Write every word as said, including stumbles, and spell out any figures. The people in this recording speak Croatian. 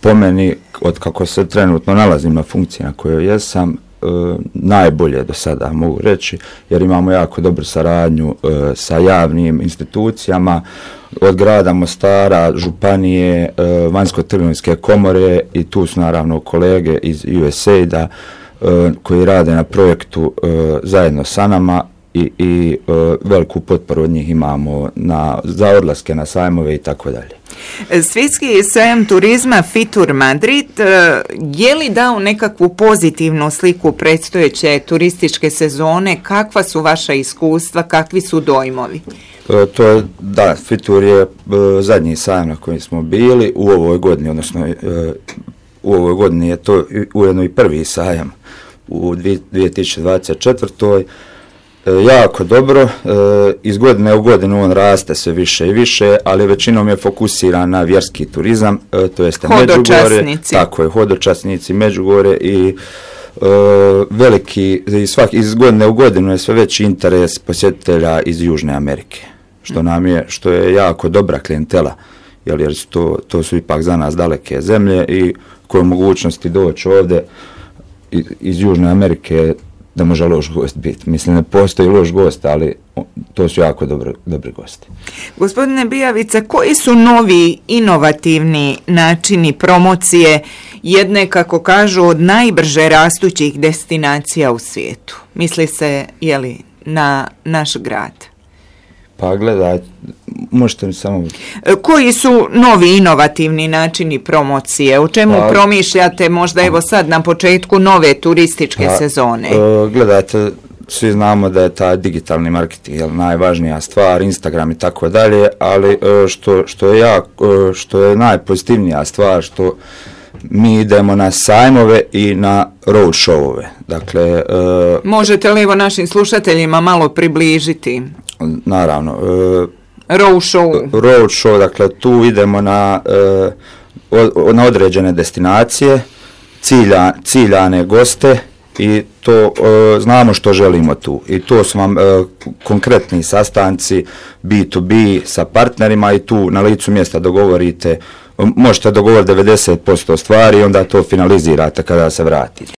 po meni, od kako se trenutno nalazim na funkciji na kojoj jesam, e, najbolje do sada mogu reći, jer imamo jako dobru saradnju e, sa javnim institucijama, od grada Mostara, županije, e, vanjsko-trgovinske komore i tu su naravno kolege iz U S A I D-a e, koji rade na projektu e, zajedno sa nama i, i e, veliku potporu od njih imamo na, za odlaske na sajmove i tako dalje. Svjetski sajam turizma Fitur Madrid je li dao nekakvu pozitivnu sliku predstojeće turističke sezone? Kakva su vaša iskustva, kakvi su dojmovi? E, to je, da, Fitur je e, zadnji sajam na kojem smo bili u ovoj godini, odnosno e, u ovoj godini je to ujedno i prvi sajam u dvije tisuće dvadeset četvrtoj. E, jako dobro, e, iz godine u godinu on raste sve više i više, ali većinom je fokusiran na vjerski turizam, e, to jeste Međugorje, tako je, hodočasnici, Međugorje i e, veliki, i svak, iz godine u godinu je sve veći interes posjetitelja iz Južne Amerike, što nam je, što je jako dobra klijentela, jer, jer su to, to su ipak za nas daleke zemlje i koje mogućnosti doći ovdje iz, iz Južne Amerike da može loš gost biti. Mislim, ne postoji loš gost, ali to su jako dobri, dobri gosti. Gospodine Bijavica, koji su novi inovativni načini promocije jedne, kako kažu, od najbrže rastućih destinacija u svijetu? Misli se, jeli, na naš grad? Pa gledaj, možete mi samo... Koji su novi inovativni načini promocije? O čemu pa, promišljate možda evo sad na početku nove turističke pa, sezone? Uh, gledajte, svi znamo da je taj digitalni marketing jel, najvažnija stvar, Instagram i tako dalje, ali uh, što, što, je jak, uh, što je najpozitivnija stvar, što mi idemo na sajmove i na road showove. Dakle, uh, možete li evo našim slušateljima malo približiti? Naravno. Uh, road show. Road show, dakle tu idemo na, uh, od, na određene destinacije, cilja, ciljane goste i to uh, znamo što želimo tu. I to su vam uh, konkretni sastanci B to B sa partnerima i tu na licu mjesta dogovorite, možete dogovoriti devedeset posto stvari i onda to finalizirate kada se vratite.